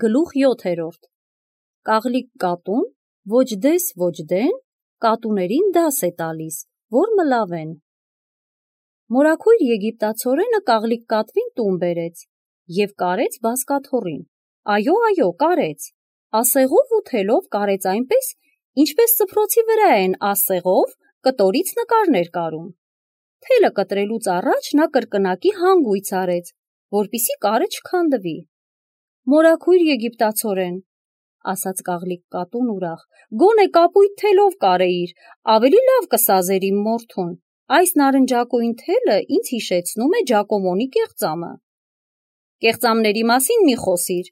Գլուխ 7. Կաղլիկ կատուն ոչ դես ոչ դեն կատուներին դաս է տալիս, որ մլավեն։ Մորաքույր եգիպտացորենը կաղլիկ կատվին տուն բերեց և կարեց բազկաթոռին։ Այո, կարեց, ասեղով ու թելով կարեց այնպես, ինչպես սփռոցի վրա են ասեղով կտորից նկարներ կարում։ Թելը կտրելուց առաջ նա կրկնակի հանգույց արեց, որպեսզի կարը չքանդվի։ Մորաքույր եգիպտացորեն, ասաց կաղլիկ կատուն ուրախ, գոնե կապույտ թելով կարեիր, ավելի լավ կսազեր իմ մորթուն, այս նարնջակույն թելը ինձ հիշեցնում է Ջակոմոնի կեղծամը։ Կեղծամների մասին մի խոսիր,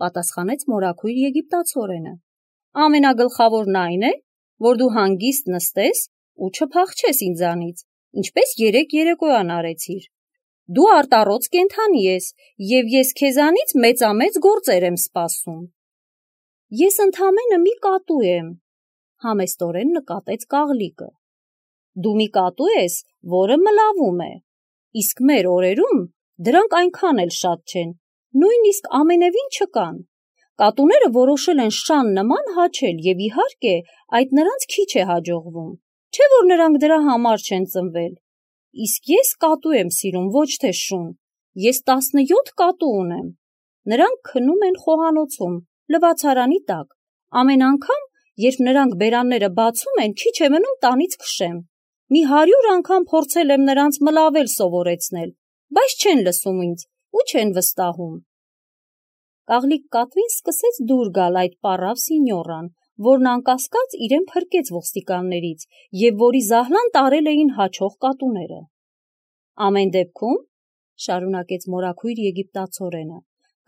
պատասխանեց մորաքույր եգիպտացորենը, ամենագլխավորն այն է, որ դու հանգիստ նստես ու չփախչես ինձանից, ինչպես երեկ երեկոյան արեցիր։ Դու արտառոց կենդանի ես, և ես քեզանից մեծամեծ գործեր եմ սպասում։ Ես ընդամենը մի կատու եմ, համեստորեն նկատեց կաղլիկը։ Դու մի կատու ես, որը մլավում է, իսկ մեր օրերում դրանք այնքան էլ շատ չեն, նույնիսկ ամենևին չկան։ Կատուները որոշել են շան նման հաչել և իհարկե այդ նրանց քիչ է հաջողվում, չէ՞ որ նրանք դրա համար չեն ծնվել։ Իսկ ես կատու եմ սիրում, ոչ թե շուն, ես 17 կատու ունեմ, նրանք քնում են խոհանոցում, լվացարանի տակ, ամեն անգամ, երբ նրանք բերանները բացում են, քիչ է մնում տանից քշեմ, մի 100 անգամ փորձել եմ նրանց մլավել սովորեցնել, բայց չեն լսում ինձ ու չեն վստահում։ Կաղլիկ կատվին սկսեց դուր գալ այդ պառավ սինյորան, որն անկասկած իրեն փրկեց ոստիկաններից և որի զահլան տարել էին հաչող կատուները։ Ամեն դեպքում, շարունակեց մորաքույր եգիպտացորենը,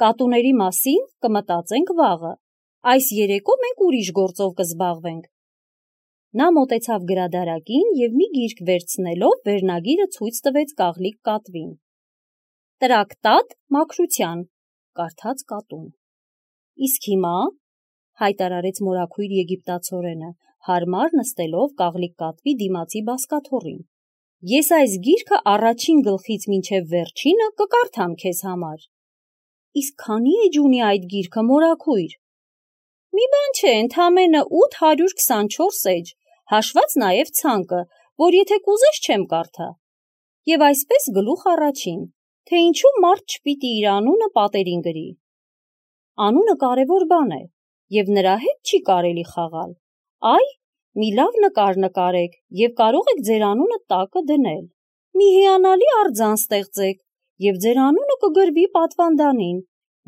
կատուների մասին կմտածենք վաղը, այս երեկո մենք ուրիշ գործով կզբաղվենք։ Նա մոտեցավ գրադարակին և մի գիրք վերցնելով վերնագիրը ցույց տվեց կաղլիկ կատվին։ Տրակտատ մաքրության, կարդաց կատուն։ Իսկ հիմա, հայտարարեց մորաքույր եգիպտացորենը, հարմար նստելով կաղլիկ կատվի դիմացի բազկաթոռին, ես այս գիրքը առաջին գլխից մինչև վերջինը կկարդամ քեզ համար։ Իսկ քանի էջ ունի այդ գիրքը, մորաքույր։ Մի բան չէ, ընդամենը 824 էջ, հաշված նաև ցանկը, որ եթե կուզես չեմ կարդա։ Եվ այսպես գլուխ առաջին, թե ինչու մարդ չպիտի իր անունը պատերին գրի։ Անունը կարևոր բան է, և նրա հետ չի կարելի խաղալ։ Այ, մի լավ նկար նկարեք և կարող եք ձեր անունը տակը դնել։ Մի հիանալի արձան ստեղծեք և ձեր անունը կգրվի պատվանդանին։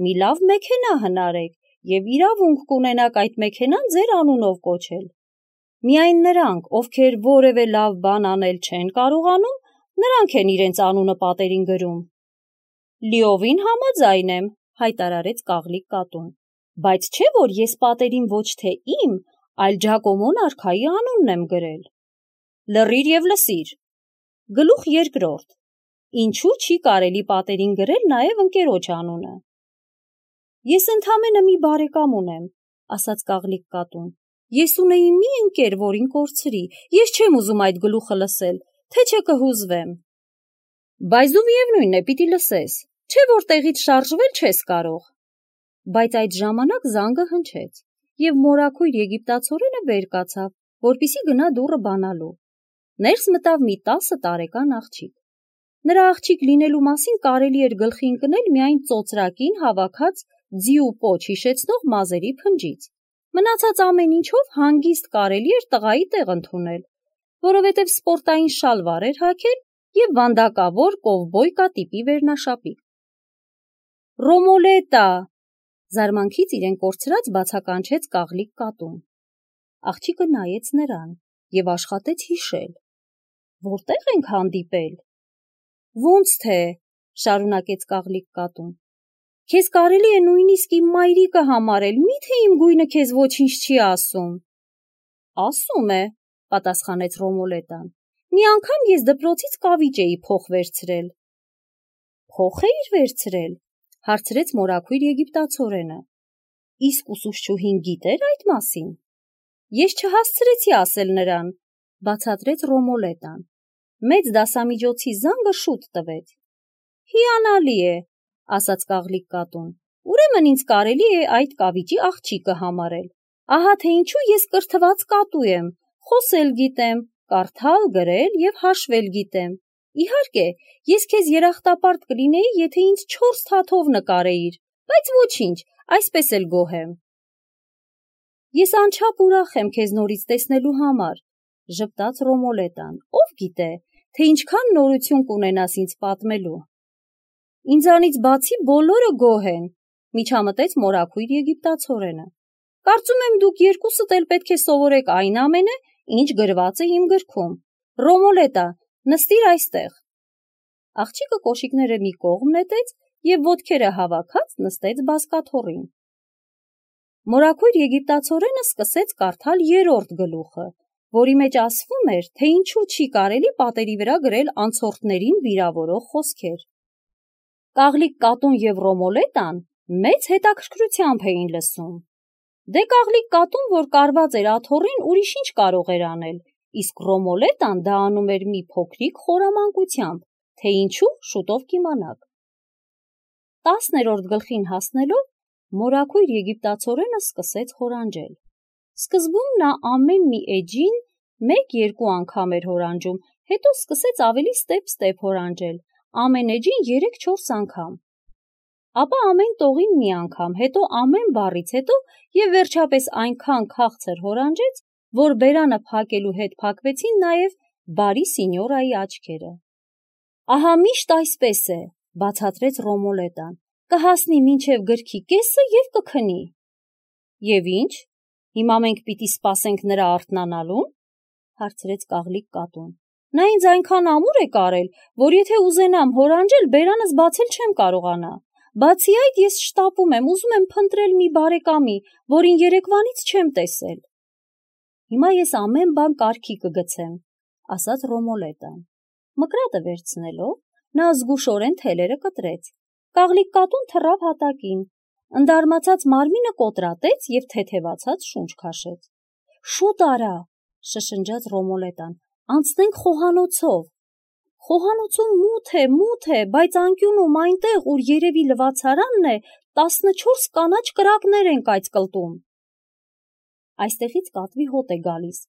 Մի լավ մեքենա հնարեք և իրավունք կունենաք այդ մեքենան ձեր անունով կոչել։ Միայն նրանք, ովքեր որևէ լավ բան անել չեն կարողանում, նրանք են իրենց անունը պատերին գրում։ Լիովին համաձայն եմ, հայտարարեց կաղլիկ կատուն, բայց չէ՞ որ ես պատերին ոչ թե իմ, այլ Ջակոմոն արքայի անունն եմ գրել։ Լռիր և լսիր։ Գլուխ 2. Ինչու չի կարելի պատերին գրել նաև ընկերոջ անունը։ Ես ընդամենը մի բարեկամ ունեմ, ասաց կաղլիկ կատուն։ Ես ունեի մի ընկեր, որին կորցրի, ես չեմ ուզում այդ գլուխը լսել, թե չէ կհուզվեմ։ Բայց դու միևնույն է պիտի լսես, չէ՞ որ տեղից շարժվել չես կարող։ Բայց այդ ժամանակ զանգը հնչեց, և մորաքույր եգիպտացորենը վեր կացավ, որպեսզի գնա դուռը բանալու։ Ներս մտավ մի 10 տարեկան աղջիկ։ Նրա աղջիկ լինելու մասին կարելի էր գլխի ընկնել միայն ծոծրակին հավաքած ձի ու պոչ հիշեցնող մազերի փնջից։ Մնացած ամեն ինչով հանգիստ կարելի էր տղայի տեղ ընդունել, որովհետև սպորտային շալվար էր հագել և վանդակավոր կովբոյկա տիպի վերնաշապիկ։ Ռոմոլետա, զարմանքից իրեն կորցրած բացականչեց կաղլիկ կատուն։ Աղջիկը նայեց նրան և աշխատեց հիշել. Որտե՞ղ ենք հանդիպել։ Ոնց թե, շարունակեց կաղլիկ կատուն, քեզ կարելի է նույնիսկ իմ մայրիկը համարել, միթե իմ գույնը քեզ ոչինչ չի ասում։ Ասում է, պատասխանեց Ռոմոլետան, մի անգամ ես դպրոցից կավիճ էի փոխ վերցրել։ Փոխ էիր վերցրել, հարցրեց մորաքույր եգիպտացորենը։ Իսկ ուսուցչուհին գիտեր այդ մասին։ Ես չհասցրեցի ասել նրան, բացատրեց Ռոմոլետան։ Մեծ դասամիջոցի զանգը շուտ տվեց։ Հիանալի է, ասաց կաղլիկ կատուն, ուրեմն ինձ կարելի է այդ կավիճի աղջիկը համարել։ Ահա թե ինչու ես կրթված կատու եմ, խոսել գիտեմ, կարդալ, գրել և հաշվել գիտեմ։ Իհարկե, ես քեզ երախտապարտ կլինեի, եթե ինձ 4 թաթով նկարեիր, բայց ոչինչ, այսպես էլ գոհ եմ։ Ես անչափ ուրախ եմ քեզ նորից տեսնելու համար, ժպտաց Ռոմոլետան, ով գիտե, թե ինչքան նորություն կունենաս ինձ պատմելու։ Ինձանից բացի բոլորը գոհ են, միջամտեց մորաքույր եգիպտացորենը։ Կարծում եմ դուք երկուսդ էլ պետք է սովորեք այն ամենը, ինչ գրված է իմ գրքում։ Ռոմոլետա, նստիր այստեղ։ Աղջիկը կոշիկները մի կողմ նետեց և ոտքերը հավաքած նստեց բազկաթոռին։ Մորաքույր եգիպտացորենը սկսեց կարդալ 3-րդ գլուխը, որի մեջ ասվում էր, թե ինչու չի կարելի պատերի վրա գրել անցորդներին վիրավորող խոսքեր։ Կաղլիկ կատուն և Ռոմոլետան մեծ հետաքրքրությամբ էին լսում։ Դե Կաղլիկ կատուն, որ կարված էր աթոռին, ուրիշ ինչ կարող էր անել, իսկ Ռոմոլետան դա անում էր մի փոքրիկ խորամանկությամբ, թե ինչու շուտով կիմանաք։ 10-րդ գլխին հասնելով, մորաքույր եգիպտացորենը սկսեց հորանջել։ Սկզբում նա ամեն մի էջին 1-2 անգամ էր հորանջում, հետո սկսեց ավելի ստեպ-ստեպ հորանջել, ամեն էջին 3-4 անգամ։ Ապա ամեն տողին մի անգամ, հետո ամեն բառից հետո և վերջապես այնքան քաղցր հորանջեց, որ բերանը փակելու հետ փակվեցին նաև բարի սինյորայի աչքերը։ Ահա միշտ այսպես է, բացատրեց Ռոմոլետան, կհասնի մինչև գրքի կեսը և կքնի։ Եվ ինչ, հիմա մենք պիտի սպասենք նրա արթնանալուն, հարցրեց Կաղլիկ կատուն։ Նա ինձ այնքան ամուր է կարել, որ եթե ուզենամ հորանջել, բերանս բացել չեմ կարողանա։ Բացի այդ, ես շտապում եմ, ուզում եմ փնտրել մի բարեկամի, որին երեկվանից չեմ տեսել։ Հիմա ես ամեն բան կարգի կգցեմ, ասաց Ռոմոլետան։ Մկրատը վերցնելով, նա զգուշորեն թելերը կտրեց։ Կաղլիկ կատուն թռավ հատակին, ընդարմացած մարմինը կոտրատեց և թեթևացած շունչ քաշեց։ Շուտ արա, շշնջաց Ռոմոլետան, անցնենք խոհանոցով։ Խոհանոցում մութ է, բայց անկյունում այնտեղ, ուր երևի լվացարանն է, 14 կանաչ կրակներ են կայծկլտում։ Այստեղից կատվի հոտ է գալիս,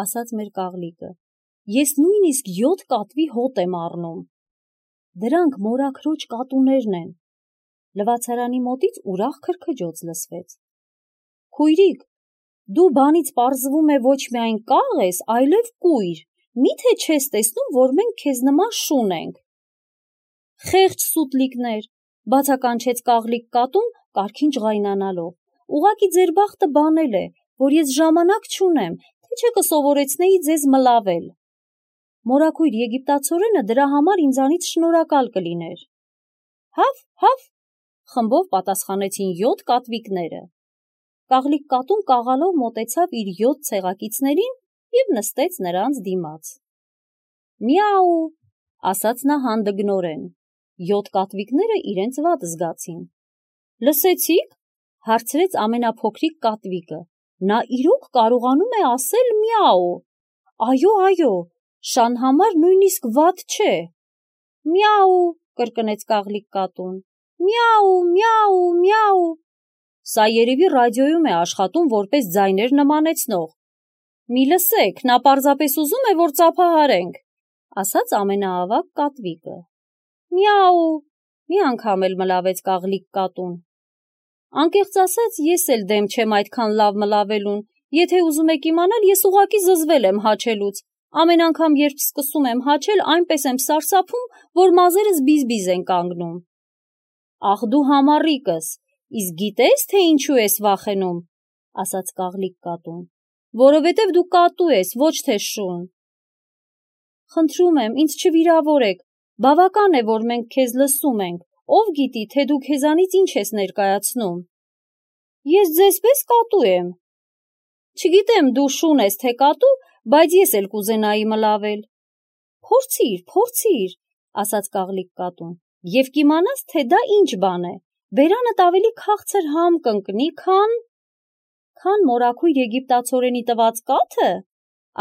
ասաց մեր կաղլիկը։ Ես նույնիսկ 7 կատվի հոտ եմ առնում։ Դրանք մորաքրոջ կատուներն են։ Լվացարանի մոտից ուրախ քրքջոց լսվեց։ Քույրիկ, դու բանից պարզվում է ոչ միայն կաղ ես, այլև կույր, միթե չես տեսնում, որ մենք քեզ նման շուն ենք։ Խեղճ սուտլիկներ, բացականչեց Կաղլիկ կատուն, կարգին ջղայնանալով։ Ուղղակի ձեր բախտը բանել է, որ ես ժամանակ չունեմ, թե չէ կսովորեցնեի ձեզ մլավել։ Մորաքույր եգիպտացորենը դրա համար ինձանից շնորհակալ կլիներ։ Հավ, խմբով պատասխանեցին 7 կատվիկները։ Կաղլիկ կատուն կաղալով մոտեցավ իր 7 ցեղակիցներին և նստեց նրանց դիմաց։ Միաու, ասաց նա հանդգնորեն։ 7 կատվիկները իրենց վատ զգացին։ Լսեցի՞ք, հարցրեց ամենափոքրիկ կատվիկը։ Նա իրոք կարողանում է ասել միաու։ Այո, շան համար նույնիսկ վատ չէ։ Միաու, կրկնեց Կաղլիկ կատուն։ Միաու։ Սա երևի ռադիոյում է աշխատում որպես ձայներ նմանեցնող։ Մի լսեք, նա պարզապես ուզում է, որ ծափահարենք, ասաց ամենաավագ կատվիկը։ Միաու, մի անգամ էլ մլավեց Կաղլիկ կատուն։ Անկեղծ ասած, ես էլ դեմ չեմ այդքան լավ մլավելուն, եթե ուզում եք իմանալ, ես ուղղակի զզվել եմ հաչելուց, ամեն անգամ, երբ սկսում եմ հաչել, այնպես եմ սարսափում, որ մազերս բիզ-բիզ են կանգնում։ Ախ դու համառիկս, իսկ գիտես, թե ինչու ես վախենում, ասաց Կաղլիկ կատուն, որովհետև դու կատու ես, ոչ թե շուն։ Խնդրում եմ, ինձ չվիրավորեք, բավական է, որ մենք քեզ լսում ենք, ով գիտի, թե դու քեզանից ինչ ես ներկայացնում։ Ես ձեզ պես կատու եմ։ Չգիտեմ դու շուն ես թե կատու, բայց ես էլ կուզենայի մլավել։ Փորձիր, ասաց Կաղլիկ կատուն, և կիմանաս, թե դա ինչ բան է։ Բերանդ ավելի քաղցր համ կընկնի, քան մորաքույր եգիպտացորենի տված կաթը,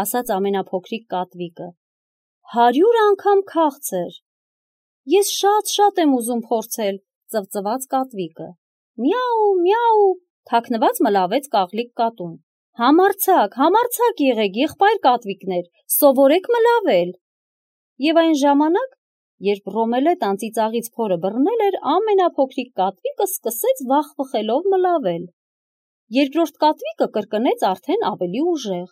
ասաց ամենափոքրիկ կատվիկը։ 100 անգամ քաղցր։ Ես շատ եմ ուզում փորձել, ծվծված կատվիկը։ Միաու, միաու, թաքնված մլավեց կաղլիկ կատուն։ Համարձակ եղեք, եղբայր կատվիկներ, սովորեք մլավել։ Եվ այն ժամանակ, երբ Ռոմելետան ծիծաղից փորը բռնել էր, ամենափոքրիկ կատվիկը սկսեց վախվխելով մլավել։ Երկրորդ կատվիկը կրկնեց արդեն ավելի ուժեղ։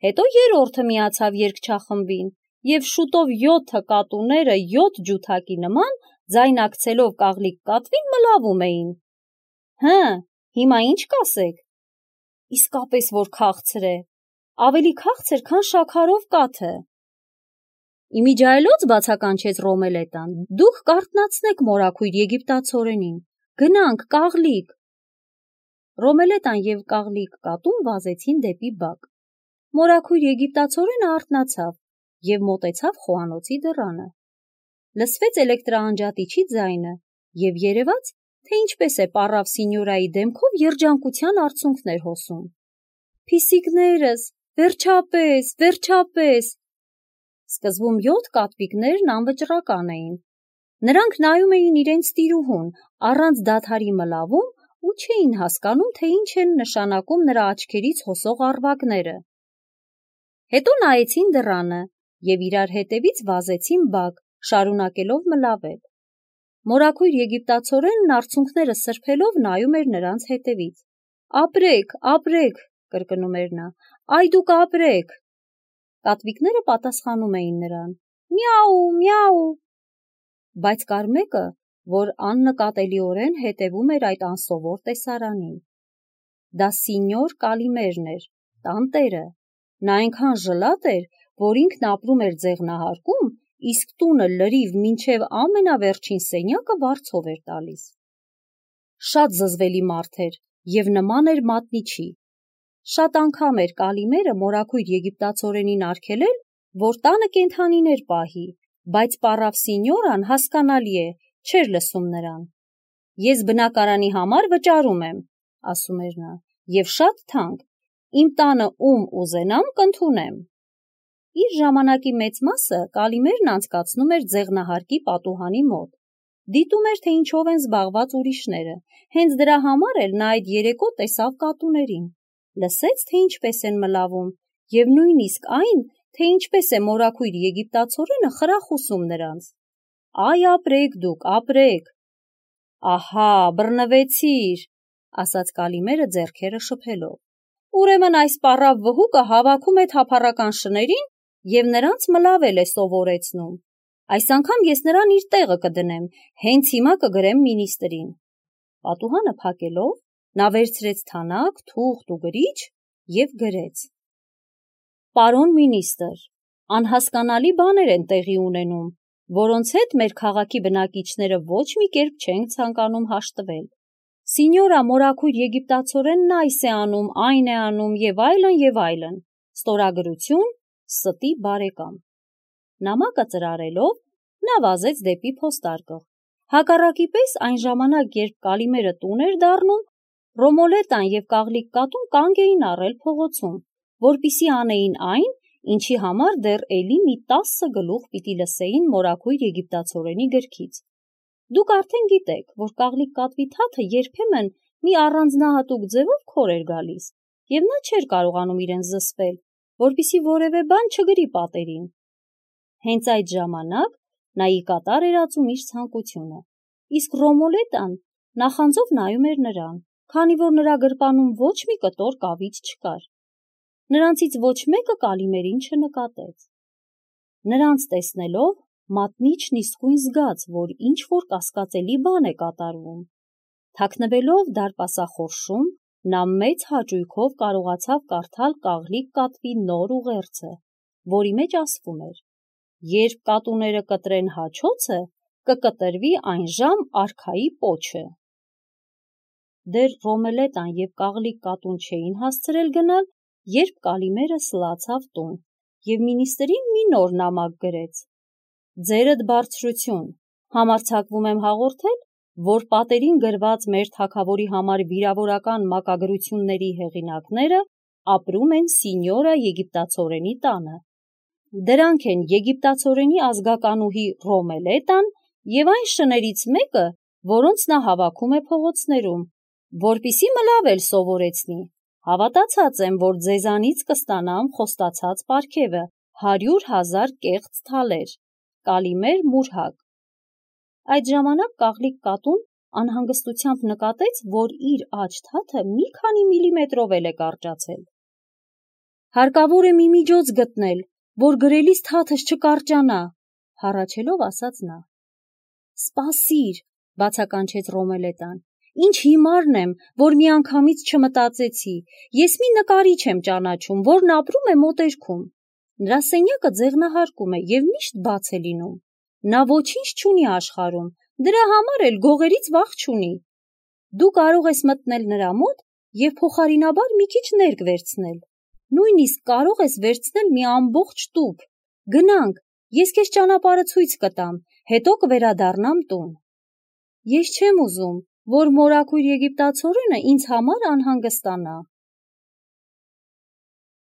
Հետո երրորդը միացավ երգչախմբին, և շուտով 7 կատուները 7 ջութակի նման ձայնակցելով կաղլիկ կատվին մլավում էին։ Հը, հիմա ինչ կասեք։ Իսկապես որ քաղցր է, ավելի քաղցր, քան շաքարով կաթը։ Իմիջայլոց բացականչեց Ռոմելետան, դուք կարթնացնեք մորաքույր եգիպտացորենին, գնանք, կաղլիկ։ Ռոմելետան և կաղլիկ կատուն վազեցին դեպի բակ։ Մորաքույր եգիպտացորենը արթնացավ և մոտեցավ խոհանոցի դռանը։ Լսվեց էլեկտրաանջատիչի ձայնը և երևաց, թե ինչպես է պառավ սինյորայի դեմքով երջանկության արցունքներ հոսում։ Փիսիկներս, վերջապես։ Սկզբում 7 կատվիկներն անվճռական էին։ Նրանք նայում էին իրենց տիրուհուն, առանց դադարի մլավում ու չէին հասկանում, թե ինչ են նշանակում նրա աչքերից հոսող առվակները։ Հետո նայեցին դռանը և իրար հետևից վազեցին բակ, շարունակելով մլավել։ Մորաքույր եգիպտացորենն արցունքները սրբելով նայում էր նրանց հետևից։ Ապրեք, կրկնում էր նա, այ դուք ապրեք։ Կատվիկները պատասխանում էին նրան. Միաու։ Բայց կար մեկը, որ աննկատելիորեն հետևում էր այդ անսովոր տեսարանին։ Դա սինյոր Կալիմերն էր, տանտերը։ Նա այնքան ժլատ էր, որ ինքն ապրում էր ձեղնահարկում, իսկ տունը լրիվ մինչև ամենավերջին սենյակը վարձով էր տալիս։ Շատ զզվելի մարդ էր և նման էր մատնիչի։ Շատ անգամ էր Կալիմերը մորաքույր եգիպտացորենին արգելել, որ տանը կենդանիներ պահի, բայց պառավ սինյորան, հասկանալի է, չէր լսում նրան։ Ես բնակարանի համար վճարում եմ, ասում էր նա, և շատ թանկ, իմ տանը ում ուզենամ կընդունեմ։ Իր ժամանակի մեծ մասը Կալիմերն անցկացնում էր ձեղնահարկի պատուհանի մոտ։ Դիտում էր, թե ինչով են զբաղված ուրիշները, հենց դրա համար էլ նա այդ երեկո տեսավ կատուներին, լսեց, թե ինչպես են մլավում, և նույնիսկ այն, թե ինչպես է մորաքույր եգիպտացորենը խրախուսում նրանց։ Այ ապրեք դուք, ապրեք։ Ահա, բռնվեցիր, ասաց Կալիմերը ձեռքերը շփելով։ Ուրեմն այս պառավ վհուկը հավաքում է թափառական շներին և նրանց մլավել է սովորեցնում։ Այս անգամ ես նրան իր տեղը կդնեմ, հենց հիմա կգրեմ մինիստրին։ Պատուհանը փակելով, նա վերցրեց թանակ, թուղթ ու գրիչ և գրեց. Պարոն մինիստր, անհասկանալի բաներ են տեղի ունենում, որոնց հետ մեր քաղաքի բնակիչները ոչ մի կերպ չեն ցանկանում հաշտվել։ Սինյորա մորաքույր եգիպտացորենն այս է անում, այն է անում և այլն։ Ստորագրություն, ստի բարեկամ։ Նամակը ծրարելով, նա վազեց դեպի փոստարկղ։ Հակառակի պես այն ժամանակ, երբ Կալիմերը տուն էր դառնում, Ռոմելետան և կաղլիկ կատուն կանգ էին առել փողոցում, որպեսզի անեին այն, ինչի համար դեռ էլի մի 10 գլուխ պիտի լսեին մորաքույր եգիպտացորենի գրքից։ Դուք արդեն գիտեք, որ կաղլիկ կատվի թաթը երբեմն մի առանձնահատուկ ձևով քոր էր գալիս, և նա չէր կարողանում իրեն զսպել, որպեսզի որևէ բան չգրի պատերին։ Հենց այդ ժամանակ նա ի կատար էր ածում իր ցանկությունը, իսկ Ռոմելետան նախանձով նայում էր նրան, քանի որ նրա գրպանում ոչ մի կտոր կավիճ չկար։ Նրանցից ոչ մեկը Կալիմերին չնկատեց։ Նրանց տեսնելով, մատնիչն իսկույն զգաց, որ ինչ-որ կասկածելի բան է կատարվում։ Թաքնվելով դարպասախորշում, նա մեծ հաճույքով կարողացավ կարդալ կաղլիկ կատվի նոր ուղերձը, որի մեջ ասվում էր. երբ կատուները կտրեն հաչոցը, կկտրվի այնժամ արքայի պոչը։ Դեռ Ռոմելետան և կաղլիկ կատուն չէին հասցրել գնալ, երբ Կալիմերը սլացավ տուն և մինիստրին մի նոր նամակ գրեց. Ձերդ բարձրություն, համարձակվում եմ հաղորդել, որ պատերին գրված մեր թագավորի համար վիրավորական մակագրությունների հեղինակները ապրում են սինյորա եգիպտացորենի տանը։ Դրանք են եգիպտացորենի ազգականուհի Ռոմելետան և այն շներից մեկը, որոնց նա հավաքում է փողոցներում, որպիսի մլավ էլ սովորեցնի, հավատացած եմ, որ ձեզանից կստանամ խոստացած պարգևը 100,000 կեղծ թալեր, կալիմեր մուրհակ։ Այդ ժամանակ կաղլիկ կատուն անհանգստությամբ նկատեց, որ իր աջ թաթը մի քանի միլիմետրով էլ է կարճացել։ Հարկավոր է մի միջոց գտնել, որ գրելիս թաթս չկարճանա, հառաչելով ասաց նա։ Սպասիր, բացականչեց Ռոմելետան, ինչ հիմարն եմ, որ միանգամից չմտածեցի, ես մի նկարիչ եմ ճանաչում, որն ապրում է մոտերքում, նրա սենյակը ձեղնահարկում է և միշտ բաց է լինում, նա ոչինչ չունի աշխարհում, դրա համար էլ գողերից վախ չունի, դու կարող ես մտնել նրա մոտ և փոխարինաբար մի քիչ ներք վերցնել, նույնիսկ կարող ես վերցնել մի ամբողջ տուփ, գնանք, ես քեզ ճանապարհը ցույց կտամ, հետո կվերադառնամ տուն։ Ես չեմ ուզում, որ մորաքույր եգիպտացորենը ինձ համար անհանգստանա։